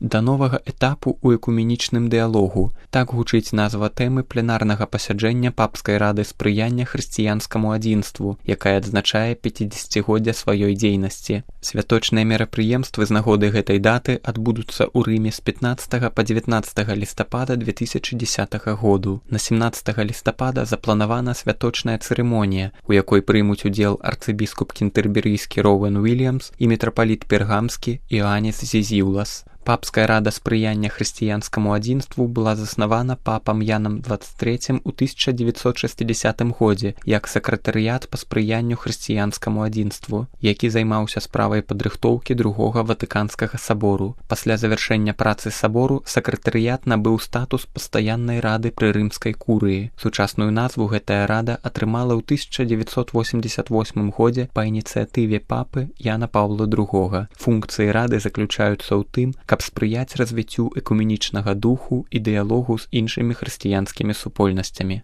Да новага этапу ў экуменічным дыялогу. Так гучыць назва тэмы пленарнага пасяджэння Папскай рады спрыяння хрысціянскаму адзінству, якая адзначае 50годдзя сваёй дзейнасці. Святочныя мерапрыемствы з нагоды гэтай даты адбудуцца ў Рыме з 15 па 19 лістапада 2010 году. На 17 лістапада запланавана святочная цырымонія, у якой прымуць удзел арцыбіскуп кентэрберыйскі Роуэн Уільямс і мітрапаліт пергамскі Іоанніс Зізіўлас. Папская рада спрыяння хрысціянскаму адзінству была заснавана папам Янам XXIII ў 1960 годзе як сакратарыят па спрыянню хрысціянскаму адзінству, які займаўся справай падрыхтоўкі другога Ватыканскага сабору. Пасля завяршэння працы сабору сакратарыят набыў статус пастаяннай рады пры рымскай курыі. Сучасную назву гэтая рада атрымала ў 1988 годзе па ініцыятыве папы Яна Паўла II. Функцыі рады заключаюцца ў тым, каб спрыяць развіццю экуменічнага духу і дыялогу з іншымі хрысціянскімі супольнасцямі.